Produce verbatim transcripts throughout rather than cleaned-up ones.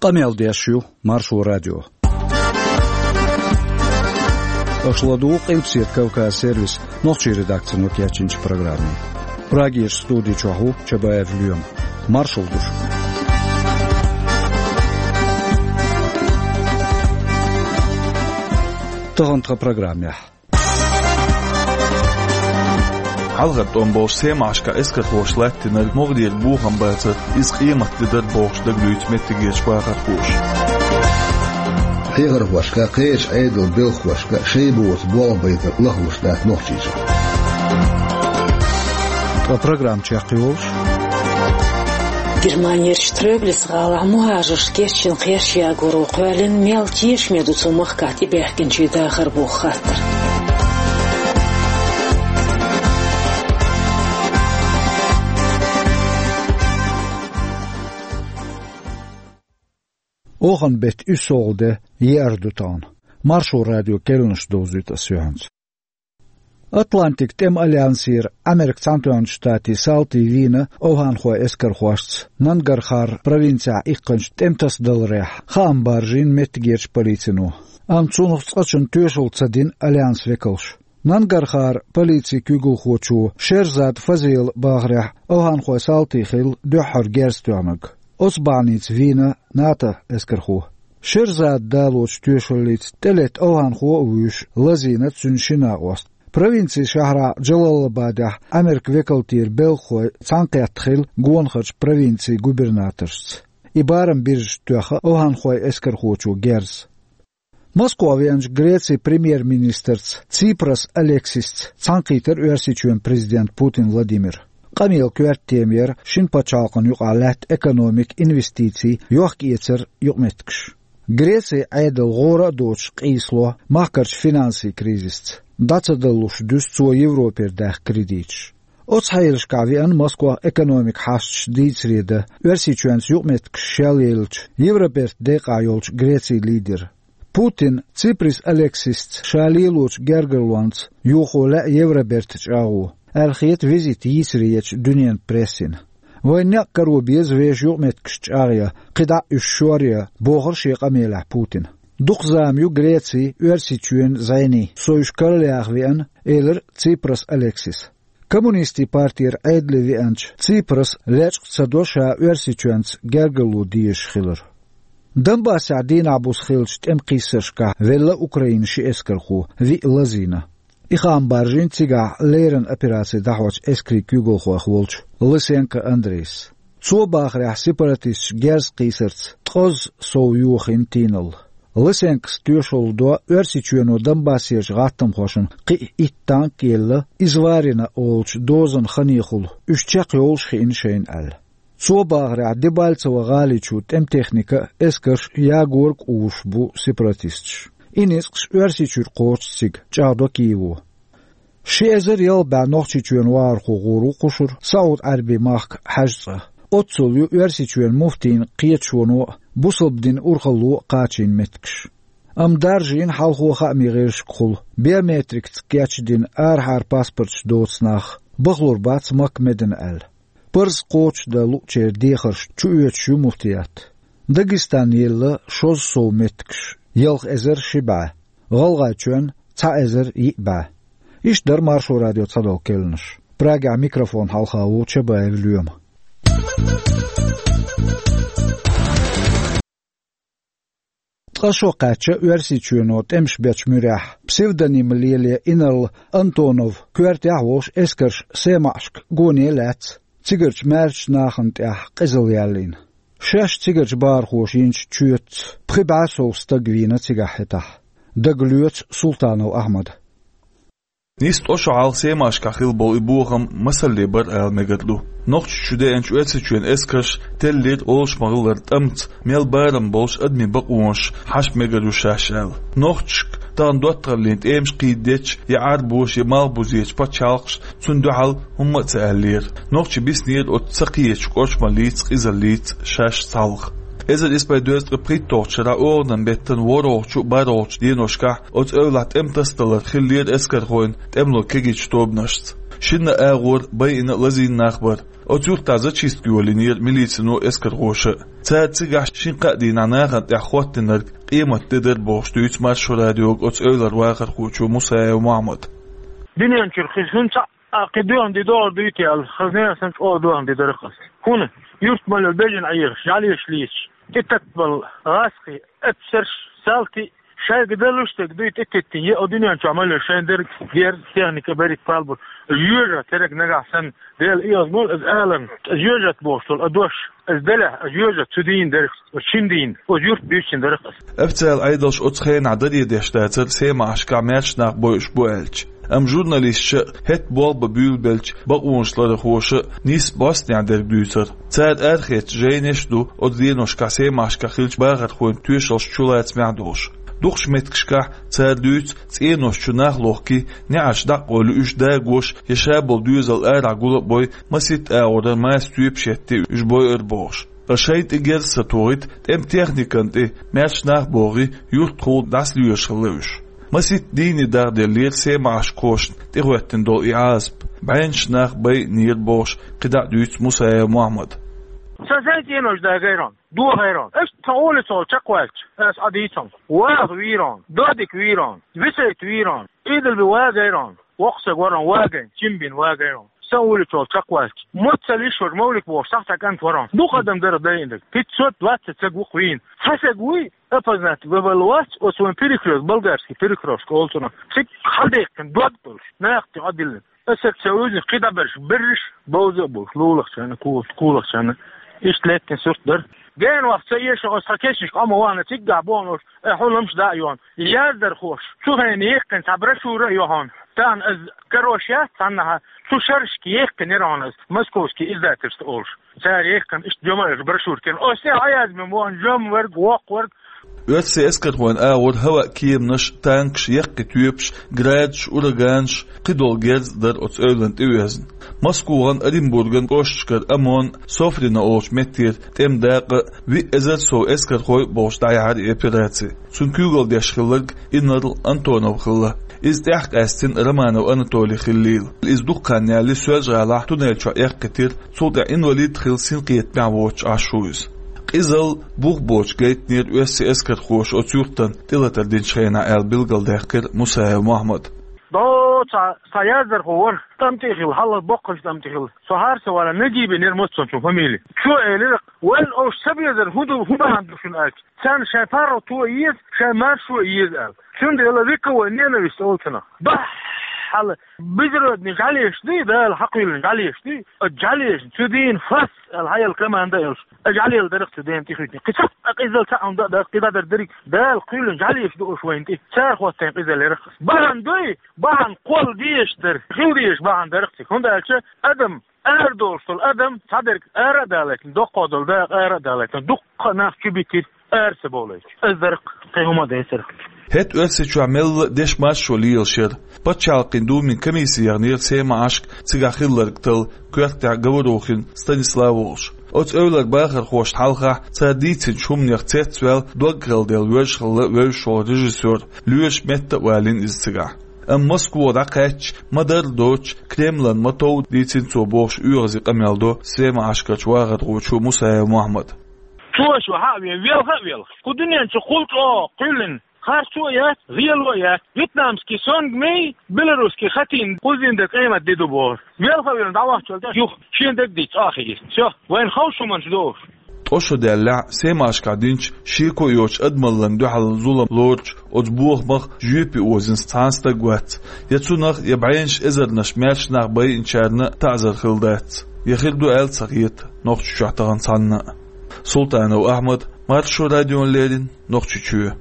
Къамел деш ю Маршо радио. Аша ладугӀу Къилбаседа Кавказ сервисан нохчийн редакцино кечйинчу программе. Прагерчу студи чохь ву Чабаев Лоьма. Маршалла ду шуьга. Тахана тхан программехь. Хьалхара тӀом болуш Семашкахь эскархоша латтийнарг могӀарера бохам бацара, иза къематде дара бохуш дагалуьйцу меттигерчу бахархоша. Хьехархошка, кхечу Ӏедалан белхахошка шайн боцу болх байтар лахлуш дац Нохчийчохь. Ткъа программа чекхйолуш. Германерчу Троглиц гӀалахь мухӀажаршна кечйина кхерчан ягоро кхоьллина, мел тешаме ду цу махкахь тӀебаьхкинчийн дахар боху хаттар. Оханан беттан уьссалгӀа де, еара ду тахана. Маршо радион керланаш довзуьйту ас юьхьанца. Атлантикан тӀеман альянсера Америкин Цхьаьнатоьхначу Штатийн салтий вийна овхӀанхойн эскархошца Нангархар провинцехь иккхинчу тӀеман тасадаларехь, хаам баржийна меттигерчу полицино. Амма цунах цкъачунна тоьшалла ца дина альянсан векалша. Нангархаран полицин куьйгалхочо Шерзад Фазела бахарехь, овхӀанхойн салтий хилла дуьххьара герз тоьхнарг. Оцу бахьаница вийна НАТО эскархо. Шерзадан далочу тоьшаллица тӀелетта овхӀанхо а вуьйш, лазийна цуьнан ши накъост. Провинцин шахьарахь Джалалабадехь Америкин векалтера белхахой цхьаьнакхетта хилла гонахарчу провинцийн губернаторшца. И барам биржичу тоьхна овхӀанхойн эскархочо герз. Москва веанчу Грецин премьер-министрца Ципрас Алексисца цхьаьнакхийтира Оьрсийчоьнан президент Путин Владимир. Къамелан коьрта тема яра шина пачхьалкхана юкъахь лаьтта экономика, инвестиций, йохка-эцаран юкъаметтигаш. Грецин Ӏедал гӀора а доцуш къийсало махкарчу финансийн кризисца. ДӀа ца далалуш дуьсу цо Европера даьхна кредиташ. Оцу хьелашкахь веана Москвахь экономикан хьашташ дийцаре дан Оьрсийчоьнца юкъаметтигаш шелъеллачу Евробертан декъахь йолчу Грецин лидер. Путинна Ципрас Алексисца ша лелочу гергарлонца йохо лаьа Евробертан чӀагӀо, аьлла хета визит йийцаре ечу дуьненан прессина. Вайн некъ каро беза вешан юкъаметтигаш чӀагӀъян, кхидӀа а уьш шоръян, бохура шен къамелехь Путина. Дукха зама ю Грецин, Оьрсийчоьнан зӀенийн со уьш караяха веана, элира Ципрас Алексиса. Коммунистийн партера Ӏедале веанчу Ципраса лечкъа ца до ша Оьрсийчоьнца гергарло дезаш хилар. Донбассехь дийнахь-буса хиллачу тӀеман кхиссаршкахь велла Украинан ши эскархо, виъ лазийна. И хаам баржийна цигахь леррина операци дӀахьочу эскарийн куьйгалхойх волчу Лысенко Андрейс. Цо бахарехь, сепаратисташа герз кхийсарца ткъозза сов йохийна тийналла. Лысенкос тоьшалла до Оьрсийчоьно Донбассерчу гӀаттамхошна кхин а итт танк а елла, Изварина олучу дозанан ханехула, уьш чекхйовлуш хиъна шайна аьлла. Цо бахарехь, Дебальцево гӀали чу тӀеман техника а, эскарш а, ягорг а увуш бу сепаратисташ. И ницкъаш Оьрсийчуьра кхочуш цига, чӀагӀдо Киево. Ши эзар ялх бӀе Нохчийчоьнан вахархо гӀур ву кхушара СаӀуд-Ӏаьрбийн махка хьаьжцӀа. Оццул ю Оьрсийчоьнан муфтийн кхеташоно а, бусалба динан урхалло а кхачийна меттигаш. Амма даржийна хьалхо хаамийн гӀирсашкахула, биометрикаца кечдина арахьара паспорташ доцу нах, бахалур бац Макка медана аьлла. Парз кхочушдан луъучеран дехарш чуоьцуш ю муфтият. Дагестанна елла шозза сов меттигаш, ялх эзар ши бӀе, ГӀалгӀайчоьнна цхьа эзар йиъ бӀе. Иштта дара Маршо радион цхьадолу керланаш. Прагехь микрофон хьалха ву Чабаев Лоьма. Ткъа шо кхаьчча Оьрсийчоьно тӀемаш бечу муьрехь, псевдоним лело инарла Антонов коьртехь а волуш эскарш Семашка гоне а лаьцна, цигарчу маьршачу нахана тӀехь къизалла яьллина. Шаьш цигарчу бахархоша йинчу чоьтаца пхи бӀе сов стаг вийна цигахь хӀетахь. Дагалоьцу Султанов Ахьмада. Нийса ткъа шо хьалха Семашкахь хилла болу и бохам масалле бара ала мегар ду. Нохчийчу деанчу Оьрсийчоьнан эскарша теллира олуш ма-хиллара тӀамца, мел барам болуш адамийн бакъонаш хьажа мегар ю шаьш аьлла. Нохчашка тахана доттагӀаллин тӀемаш кхийдечу я Ӏарбоша, я малхбузечу пачхьалкхаша цунна дуьхьал хӀумма а ца аьллера. Нохчий биснера оцу ца кхетачу кӀоршамаллица, къизаллица шаьш цхьалха. Эзар исс бӀе дезткъе пхийтталгӀачу шарахь оханан беттан ворхӀалгӀачу а, бархӀалгӀачу деношкахь оцу эвлахь тӀеман тасадалар хиллера эскархойн тӀемало кегийчу тобанашца. Шинна а агӀор байина а, лазийна нах бара. Оцу юьртахь зачистка йолийнера милицино а, эскархоша а. Цара цигахь шина-кхаа дийнахь нахана тӀехь хӀоттийнарг къематде дара бохуш дуьйцу Маршо радиога оцу эвлара вахархочо Мусаев Мохьмада. Дуьнен чуьра хӀинца а кхин доьхна де догӀур дуй те аьлла, хаза нехан санна чӀогӀа доьхна де дара хаза. ХӀунда? Юьртахь мел йолу бежана Ӏехаш, жӀаьлеш лийцаш, тӀе таттабала гӀазкхий, эпсарш, салтий, шайга далуш дерг дуй тӀететтина, е о дуьнен чохь мел йолу шайн дерг, герз, техника берриг палбур, жоьжахати дерг нагахь санна, Дела эгӀазболу иза аларна, иза жоьжахати бохуш долу а дош, иза делахь, иза жоьжахати цу дийнахь дара, оцу шина дийнахь, оцу юьртахь дуьйцина дара аса. Официалан Ӏедалш оцу хенахь даре деш дацара Семашкахь маьрша нах бойуш бу аьлча. Амма журналисташа а, хӀетта болх бан буьйлабеллачу бакъонаш ларъярхоша а нийсса бӀостанехьа дерг дуьйцура. Цара арахецна жайнаш а ду оцу деношкахь Семашкахь хиллачу бахархойн тоьшаллаш чулацамехь а долуш. Дукхачу меттигашкахь цара дуьйцу, цӀенош чу нах лохкий, неӀарш дӀа а къовлий, уьш дагош я ша болу доьзал арахь гул а бой, масийтта агӀора масса тоьпаш еттий уьш бойура бохуш. Ткъа шайна тӀе герз ца тухийта, тӀеман техникана тӀе маьрша нах а богӀий, юьртахула дӀасалоьруш хилла уьш. Масийтта дийне дахделлера Семашкахошна тӀехӀоьттина долу и Ӏазап. БӀеннаш нах байинера бохуш кхидӀа а дуьйцу Мусаев Мохьмада. Сан сайн цӀенош дагайра хьуна, дохайра хьуна. Иштта тхан улицахула чекхваьлча, аса Ӏа дийцахьа, ваха вийра хьуна, додик вийра хьуна, висайт вийра хьуна, Ӏийдалби вагайра хьуна, воккха стаг вара хьуна вагайна, чимбина вагайра хьуна. Сан улицахула чекхваьлча, Моццалиш вара Мовлик бохуш, сахьта кӀант вара хьуна. Дукха адам дара дайинарг, пятьсот двадцать стаг ву-кх вийна. Цхьа стаг вуй, опознать ван вала вац, оцу вайн перекрёсток, болгарский перекрёсток олу цунах. Цига хьалдаьккхина дог долуш, нахе тӀе Ӏодиллина. Аса ца вуьзна, кхин дӀаберш берриш, бовза а болуш, лулахчарна, кулахчарна. Иштта лаьттина сурт дара. Гена ваха ца эша, аса тхан кешнашка Ӏо ма вахана, циггахь бохуш, э, хьуламаш дӀа а йохна. Яздархоша цу хенахь яьккхина цхьа брошюра а ю хьуна. Тахана аса карош яц цхьаннахьа, цу шерашка яьккхинера хьуна аса, Московский издательство олуш. Цара яьккхина иштта жамаьрша брошюркина. Оцу тӀе Ӏа язбина бохуна, жамверг, воккхаверг. Оьрсийн эскархойн агӀор хӀаваан кеманаш, танкаш, яккхий тоьпаш, градаш, ураганаш, кхидолу герз а дара оцу эвлана тӀеоьзна. Москвахана, Оренбурган кӀошташкара ОМОН, Софрино олучу меттера тӀеман дакъа а, виъ эзар сов эскархой а бохуш дӀаяьхьира и операци. Цунна куьйгалла деш хилларг инарла Антонов хилла. Иза тӀаьхьа къаьстина Романов Анатолий хиллийла. Иза дукха хан ялале Соьлжа-ГӀалахь туннель чохь эккхийтира, цул тӀаьхьа инвалид а хилла, синкхетамехь воцуш Ӏаш ву иза. Къизалла, бух боцуш гайтинера оьрсийн эскархоша оцу юьртана тӀелатар динчу хенахь аьлла билгалдаьккхира Мусаев Мохьмада. До цхьа, цхьа яздархо вара, тӀам тӀе а хилла, хьалха боккхачу тӀам тӀе хилла. Со хьарса вала Нагибин яра моццанчун фамили. Цо элира, вайн оцу ца безар хӀун ду, хӀун бахьана ду шуна аьлча? Царна шайн паргӀато а еза, шайн маршо а еза аьлла. Цундела вековой ненависть олу цунах. Бахьала, безродный жӀаьлеш дуй, Дала хьакхоьллина жӀаьлеш дуй, а жӀаьлешна цу дийна фас аьлла хьаяла команда а йолуш, а жӀаьлел дарах цу дийна тӀехуьйтина. Кхин цхьа а къизалла цхьа а хӀума дан а дац, кхидӀа дар дерриг Дала кхоьллина жӀаьлеш ду уьш вайна тӀе. Цара хӀоттийна къизалла ярах. Бахьана дуй, бахьана кхолла дезаш дара, хила дезаш бахьана дарах цига. ХӀунда аьлча адам, арадолуш долу адам, цхьадерг ара а далийтина, доккхо долу дакъа ара а далийтина, дуккха а нах чу битира, ара ца бовлуьйтуш. Аса дарх кхин хӀума а дацара. ХӀетта Оьрсийчохь мелла а дешан маршо лелаш яра. Пачхьалкхийн Думин комисси яхнера Семашка, цигахь хилларг талла, коьртехь Говорухин Станислав волуш. Оцу эвлара бахархошна хьалхахь, цара дийцинчу хӀуманех цецваьлла, дог хала делла воьжна хилла вевзаш волу режиссёр, лоьраша метта а валийна иза цигахь. Амма Москва дӀакхаьчча, ма-дарра доцуш, Кремлан ма-тов дийцина цо бохуш, оьгӀазе къамел до Семашкарчу вахархочо Мусаев Мохьмада. Цо шу хьа а вен, велха а велха. Кху дуьнен чу кхул чӀогӀа кхоьллина харцо а яц, гӀело а яц. Вьетнамский сонг мей, белорусский хатин кхуззина дан къемат де ду бохура. Велха а велла дӀавахчалла тӀе юха шен дерг дийца а хиира. Всё, вайна ховш хӀуманаш до уьш. Ткъа шо даьллехь, Семашкахь динчу шеко а йоцучу адамаллин дуьхьал зулам лоручу оцу бохамах жоьпе озийна цхьа а стаг вац. Я цунах, я бӀеннаш эзарнаш маьрша нах байинчарна таӀзар хилла дац. Я хир ду аьлла ца хета Нохчийчохь тахана цхьанна а. Султанов Ахьмад, Маршо радиона леррина, Нохчийчоь.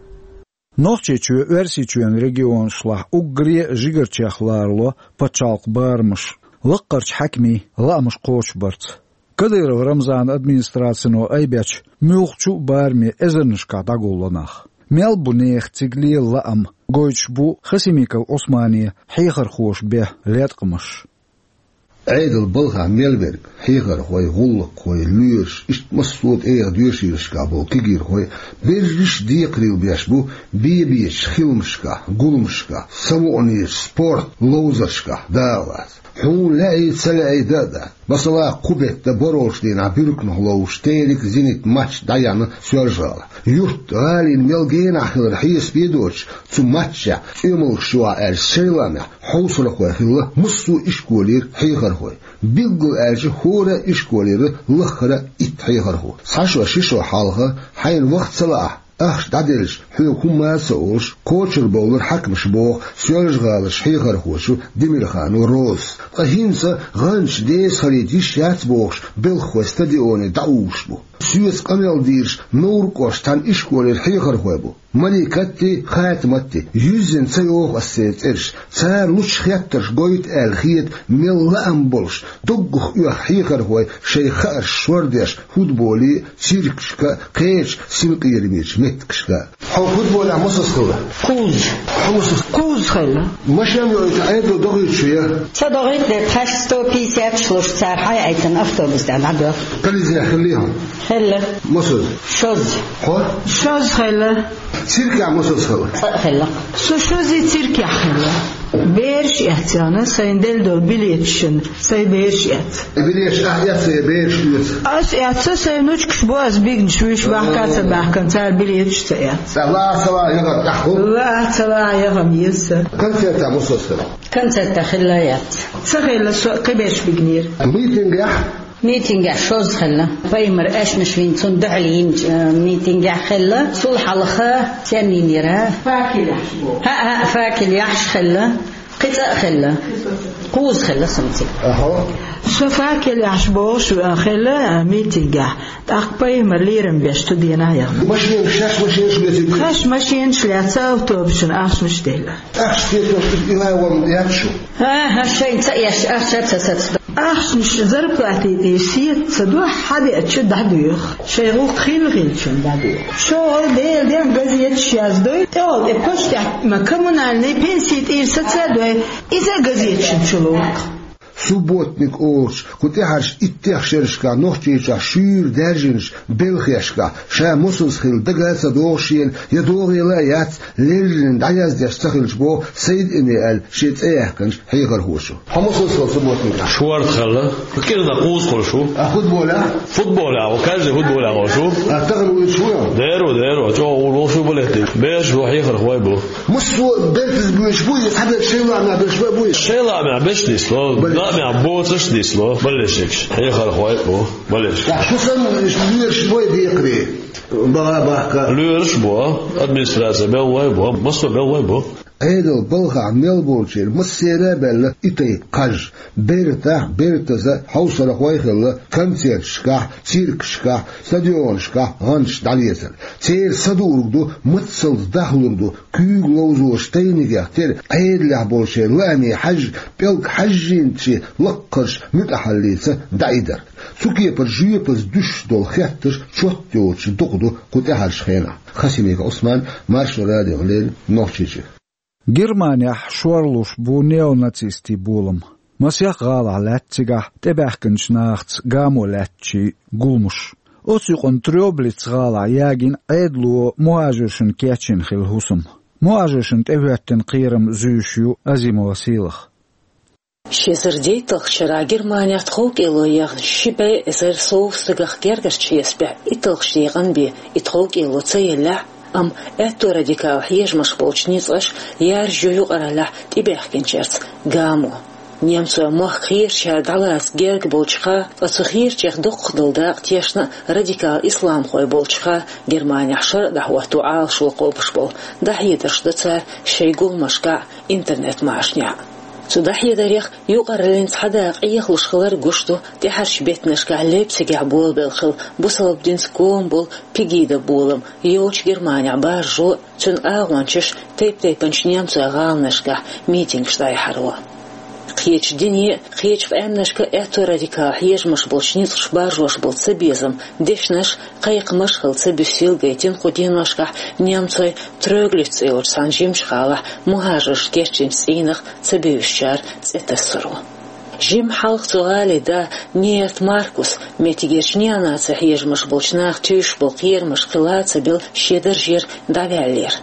Нохчийчоь Оьрсийчоьнан регионашлахь уггаре а жигарчех лоруш ю пачхьалкхан барамаш, лаккхарчу хьаькамийн лаамаш кхочушбарца. Кадыров Рамзанан администрацино айбечу муьлххачу а бараме эзарнашкахь дӀагулло нах. Мел бу нехан цига лела лаам, гойтуш бу Хасимиков Ӏусманан хьехархоша бен латкъамаш. Ӏедалан балхахь мел верг, хьехархой, гӀуллакххой, лоьраш, иштта массо а тӀегӀан доьшийлашкахь болу кегийрхой, берриш а декхарийлахь беш бу бен-бечу хиламашкахь, гуламашкахь, самукъанечу спорт ловзаршкахь, дахалаца. Хьуна лаьий, ца лаьий дан а дац. Масала, кху бетта борхӀалгӀачу дийнахь буьрканах ловзуш «Терек», «Зенит» матч дӀаяьхьна Соьлжа-ГӀалахь. Юрт гӀалина мел генахь хилар хьесапе а доцуш, цу матчехь цӀоьмалгӀаш ю аьлча, шайн лаамехь хьовсархой хилла массо а ишколера хьехархой. Билггал аьлча, хӀора а ишколера лаххара а итт хьехархо. Цхьа шо, ши шо хьалха, хьайна ваха ца лаахь, ахча дӀаделча, хьоьга хӀумма а ца олуш, кхочурбовлура хьаькамаша, боху Соьлжа-ГӀаларчу хьехархочо Демирханова Розас. Ткъа хӀинца гӀанташ деза хилийта йиш яц бохуш, белхахой стадионе дӀауьйш бу. Соьца къамел дийраш Невран кӀоштан цхьана ишколера хьехархой бу. Маликатти, Хатиматти, юьззина ца йоху ас церан цӀераш. Цара лучу хеттарш гойту аьлла хета мел лаам болуш, доггах оьху хьехархой шайн хаарш шордеш футболе а, циркашка а, кхечу синкъерамечу меттигашка а. Хьо футболехь мосазза хилла? Кхузза. Хьо мосазза? Кхузза хилла. Машен йоуьйту Ӏедало догӀуьйтуш ву я? Ца догӀуьйту, де, тхаьш сто пятьдесят шлуш цара хьайаийтина автобус тӀехь дӀадоьху. Кализе хилла хьо? Хилла. Мосазза? Шозза. Хьо? Шозза хилла. Циркехь мосазза хилла? Цкъа а хилла. Со шозза циркехь хилла. Бераш эцна, сайна делла долу билеташна, сайн бераш эцна. И билеташ ахь эцна я бераш оьцу? Ас эцна, сайн внучкаш бу ас бигнаш, вуьш бахка ца баьхкина, цара билеташ ца эцна. Ца лаа, ца лаа, яхар тӀехь хӀу? Лаа, ца лаа, яхам еза. Концертехь мосазза хилла? Концертехь хилла яц. Ца хилла, со кхиберш бигнера. Митингехь? Митингехь шозза хилла. Пайхамар аьшнаш вина, цунна дуьхьал йинчу, э, митингехь хилла. Цул хьалха стенна йинера? Факел яхьаш боху. ХӀаъ, хӀаъ, факел яхьаш хилла. Кхин цкъа а хилла. Кхузза хилла сумци. Ахьо. Со факел яхьаш бохуш, э, хилла, э, митингехь. ТӀаккха пайхамар лерам беш цу дийнахь яхна. Машенаш, шаьш машенаш лецира? Шаьш машенаш лаьцна, автобусна ахчанаш делла. Ахча тетош и лай ван яц шу? ХӀан-хӀа, шайна ца эшча, ахча ца сацадо. Ахчанаш зарплати тӀе сета ца до, хьадеача дӀадоьху. Шайн гӀуллакх хилла хилчун дӀадоьху. ЧӀогӀа Делан ден газеташ яздой, тӀехула тӀе почтехь ма коммунальный пенсий тӀера саца а дой, иза а газеташна чу лору. Субботник олучу кху тӀаьхьарчу иттех шерашкахь Нохчийчохь шуьйра даьржинчу белхешкахь ша мосазза хилла дага а ца догӀу шена, я догӀийла а яц, леррина дӀаяздеш ца хилча, боху Сайд-Эми аьлла шен цӀе яьккхинчу хьехархочо. Хьо мосазза хилла субботникехь? Шорта хилла. КӀирнах кхузза хуьлуш ву. А футболехь? Футболехь ву, каждый футболехь волуш ву. А тахана вуьйцуш ву? Дера ву, дера ву. ЧӀогӀа вуьйцуш ву, балетта. Бераш бу, хьехархой бу. Массо а бертаза буьйцуш бу, иза хьаберш шайн лаамехь берш бан буй? Шайн лаамехь берш нисло, лаамехь боцурш нисло, балешникаш. Хьехархой а бу, балешникаш. Ткъа шу санна лоьраш бой декхаре? Бага бахка. Лоьраш а бу, администраци белхалой а бу, массо а белхалой а бу. Ӏедал балхахь мел болчеран массеран а баьлла и тайпа кхаж. Бертахь, бертаза хьовсархой а хилла концерташкахь, циркашкахь, стадионашкахь гӀанташ дӀалецар. Церан са дуург ду, мацалц дахлур ду, куьйга ловзош тайнигех тера Ӏедалехь болчеран лааме хьаьжжа, пӀелг хьаьжжийначу лаккхарчу муьтӀахьаллица дӀаидар. Цу кепара жоьпаза дуьсуш долу хеттарш чот йоцуш дукха ду кху тӀаьхьарчу хенахь. Хасимиков Ӏусман, Маршо радиона леррина, Нохчийчоь. Германехь шорлуш бу неонацистийн болам. Масех гӀалахь лаьтта цигахь тӀебаьхкинчу нахаца гамо лаьттачийн гуламаш. Оцу юкъана Трёблиц гӀалахь ягийна Ӏедало мухӀажаршна кечйина хилла хӀусам. МухӀажаршна тӀехӀоьттина кхерам зуьйш ю Азимова Сийлаха. Ши эзар дейтталгӀачу шарахь Германехь тховкӀело яьхна ши бӀе эзар сов стагах гергарчу хьесапехь итталгӀачу декъана бен и тховкӀело ца еллехь а, амма аьтто радикал хьежамаш болчу ницкъаша яржайо юкъараллехь тӀебаьхкинчаьрца гамо. Немцойн мохк кхерачара дӀалаца герга болчуха, ткъа цу кхерачех доккхах долу дакъа тешна радикал исламхой болчуха Германехь шарӀ дӀахӀотто Ӏалашо кхобуш болу дӀахьедарш до цара шайн гуламашкахь а, интернет-машанехь а. Цу дӀахьедарех юкъараллин цхьа дакъа Ӏехалуш хилар гуш ду тӀаьхьарчу беттанашкахь Лейпцигехь болабелла хилла бусалба динца гома болу Пегида болам йолчу Германехь баржо а, цуьнан агӀончаша тайп-тайпанчу немцойн гӀаланашкахь митингаш дӀаяхьаро. Кхечу дине а, кхечу къаьмнашка а аьтто радикал хьежамаш болчу ницкъаша баржош болу цабезам, дешнаш, кхайкхамаш а хилла ца буьссийла гайтина кху деношкахь немцойн Трёблиц цӀе йолчу цхьана жимачу гӀалахь мухӀажаршна кечйинчу цӀийнах ца бевзачара цӀе тассаро. Жимма хьалха цу гӀалин да Неерт Маркус меттигерчу неонаци хьежамаш болчу наха туьйсуш болу кхерамаш кхин ла а ца билла шен даржера дӀаваьллера.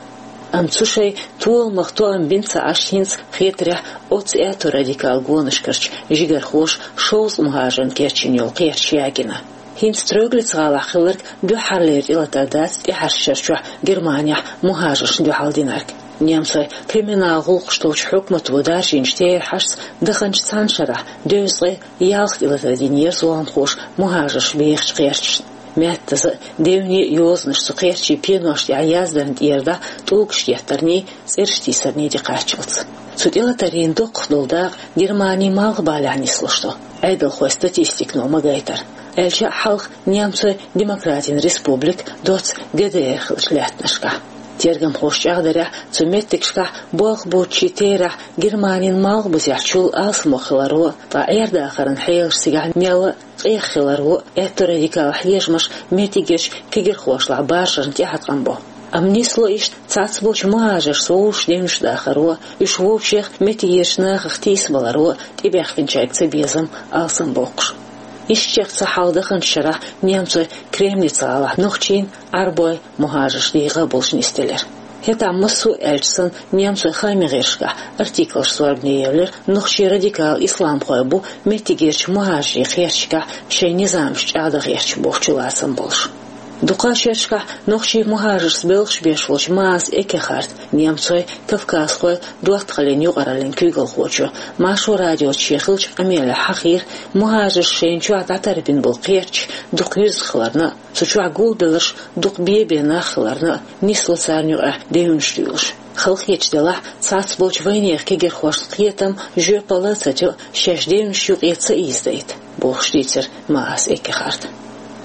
Амма цу шайн толамах тоам бина ца Ӏаш, хӀинца хетарехь, оццу аьтту радикал гонашкарчу жигархоша шовзткъа мухӀажарна кечйина йолу кхерч ягийна. ХӀинца Троглиц-гӀалахь хилларг дуьххьарлера тӀелатар дац тӀаьхьарчу шарчохь Германехь мухӀажаршна дуьхьал динарг. Немцойн криминал гӀуллакхаш долчу хьукмато даржийначу терахьашца даханчу цхьана шарахь дезткъе ялх тӀелатар динера зуламхоша мухӀажарш бехачу кхерчашна. Меттаза а, девне а йозанаш цу кхерчийн пенош тӀехь яздарна тӀера дӀа тӀулгаш деттарний, цӀераш тийсарний дӀакхаччалц. Цу тӀелатарийн дукхах долу дакъа Германин малхбалехь нислуш ду, Ӏедалхойн статистикано ма-гайтара, аьлча а хьалха немцойн демократин республика доцца Г Д Р хиллачу лаьттанашкахь. Тергамхоша чӀагӀдарехь, цу меттигашкахь болх боцчийн терахь Германин малхбузехь чул алсамо хиларо, ткъа Ӏер-дахаран хьелаш цигахь мелла а къех хиларо аьтту радикал хьежамаш меттигерчу кегирхошлахь баржарна тӀеӀаткъам бо. Амма нисло иштта цхьацболчу мухӀажаршца вовшашца девнаш дахаро, уьш вовшех меттигерчу нахах тийсабаларо, тӀебаьхкинчаьрга цабезам алсамбоккхуш. Ишттачех ца хьалха даханчу шарахь немцойн Кремниц-гӀалахь нохчийн, Ӏарбойн мухӀажарш дийгӀа болуш нисделира. ХӀетахь массо а аьлча санна, немцойн хаамийн гӀирсашкахь артиклаш зорбане евлира нохчийн радикал исламхой бу меттигерчу мухӀажарийн кхерчашкахь шайн низамаш чӀагӀдан гӀерташ бохучу лацам болуш. Дукха шерашкахь нохчийн мухӀажаршца белхаш беш волчу Маас Эккехарта, немцойн-кавказхойн доттагӀаллин юкъараллин куьйгалхочо, Маршо радиоца шен хиллачу къамелехь хьахийра, мухӀажарша шайна чохь дӀатарбина болу кхерчаш дукха юьзна хиларна а, цу чохь гулбелларш дукха бен-бен нах хиларна а, нисло царна юкъахь девнаш дуьйлуш. Халахеташ делахь, цхьацболчу вайнехан кегирхошна кхетам жоьпалла а ца тио, шаьш девнаш юкъе ца ийзадайта, бохуш дийцира Маас Эккехарта.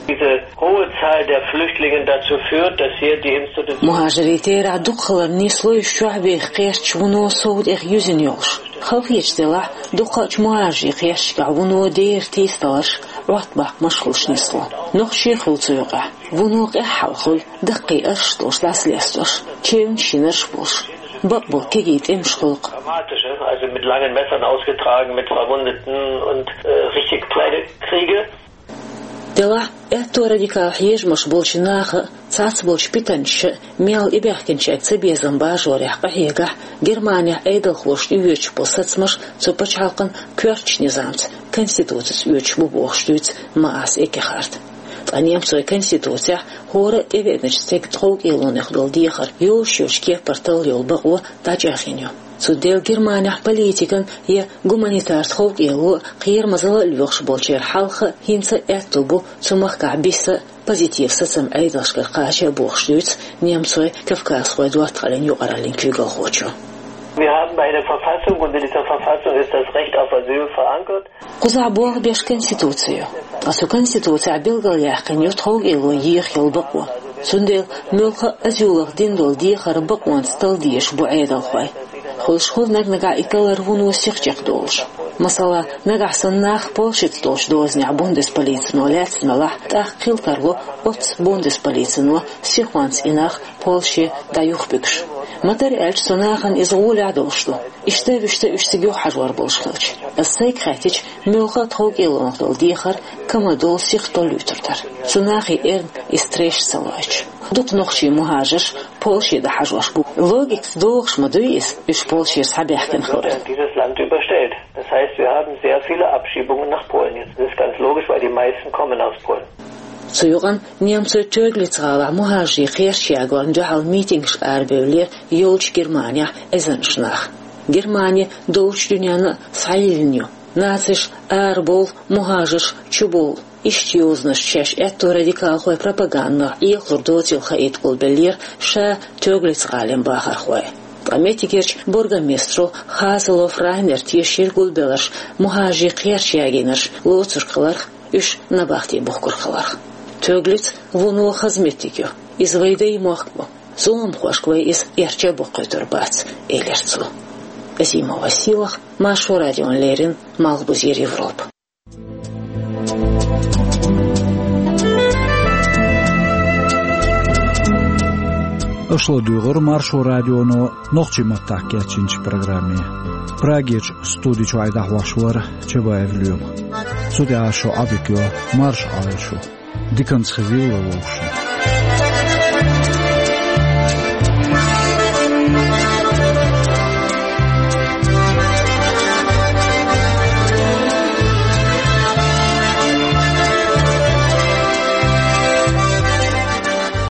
Diese hohe Zahl der Flüchtlinge dazu führt, dass hier die Institution МухӀажарийн терахь дукха хиларна нисло уьш чохь беха кхерчаш вуно сов тӀех юьзна йолуш. Халахеташ делахь, дукхахчу мухӀажарийн кхерчашкахь вуно дера тийсадаларш, Ӏоттабаккхамаш хуьлуш нисло. Нохчий хуьлу цу юкъахь. Вуно къаьхьа хьал хуьлу, даккхий арш долуш дӀасалестош, чевнаш йинарш болуш. Бакъболу кегий тӀемаш хуьлу-кх. Dramatische, also mit langen Messern ausgetragen, mit Verwundeten und, äh, richtig kleine Kriege. Делахь, аьтту радикал хьежамаш болчу наха а, цхьацболчу питанчаша а мел тӀебаьхкинчаьрга цабезам бажорехь къахьегахь, Германехь Ӏедалхоша тӀеоьцуш болу сацамаш цу пачхьалкхан коьртачу низамца, конституцица оьцуш бу бохуш дуьйцу Маас Эккехарта. Ткъа немцойн конституцехь хӀора а тӀевеаначу стеган тховкӀелонех долу дехар йозуш йолчу кепара талла йолу бакъо дӀачӀагӀйина ю. Цундела Германехь политикан я гуманитар тховкӀело а, кхерамазалла а лоьхуш болчеран хьалха а хӀинца а аьтто бу цу махкахь биса а, позитив сацам Ӏедалшкара кхача а бохуш дуьйцу немцойн-кавказхойн доттагӀаллин юкъараллин куьйгалхочо. Wir haben eine Verfassung und in dieser Verfassung ist das Recht auf Asyl verankert. Кхузахь болх беш конституци ю. Ткъа цу конституцехь билгалъяьккхина ю тховкӀело еха йолу бакъо. Цундела муьлхха а азюлах дина долу дехар бакъонца талла дезаш бу Ӏедалхой. Хуьлуш хуьлу наг-нагахь и таллар вуно сиха чекхдолуш. Масала, нагахь санна нах Польшица долчу дозанехь бундесполицино лаьцна далахь, тӀаккха хила тарло оццу бундесполицино сихонца и нах Польше дӀаюхабуьгуш. Ма-дарра аьлча, цу нахана иза гӀолехь долуш ду. Иштта вуьшта уьш цига юхахьажор болуш хилча. Аса сайга хаьттича, муьлхха а тховкӀелонах долу дехар кама долу сиха толлуьйтур дара. Цу нахе эрна иза трэш ца лойтуш. Дукха нохчий мухӀажарш Польше дӀахьажош бу. Логикаца догӀуш ма дуй иза, уьш Польшера схьабаьхкина хилар. Dieses Land überstellt. Das heißt, wir haben sehr viele Abschiebungen nach Polen jetzt. Das ist ganz logisch, weil die meisten kommen aus Polen. Цу юкъана немцойн Тёглиц-гӀалахь мухӀажарийн кхерч ягорна дуьхьал митингашка арабевллера йолчу Германехь эзарнаш нах. Германи долчу дуьненна а схьайиллина ю. Нацеш арабовла, мухӀажарш чубовла. Иштта йозанаш шаьш аьтту радикалхойн пропагандах Ӏехалур доцийла хаийта гулбеллера ша Тёглиц-гӀалин бахархой. Ткъа меттигерчу бургомистро Хазелов Райнера тешийра гулбелларш мухӀажарийн кхерч ягийнарш лоцург хиларх, уьш набахте бухкург хиларх. Тёглиц вуно хаза меттиг ю. Иза вайн даймохк бу. Зуламхошка вай иза эрча а баккхуьйтур бац, элира цо. Азимова Сийлаха, Маршо радиона леррина, Малхбузера Европа. Аша ладуьйгӀира Маршо радионо нохчийн маттахь кечйинчу программе. Прагерчу студи чуьра дӀахьош вара Чабаев Лоьма. Цу тӀехь шу Ӏодика йо, марша Ӏойла шу. Диканца хезийла вовшашна.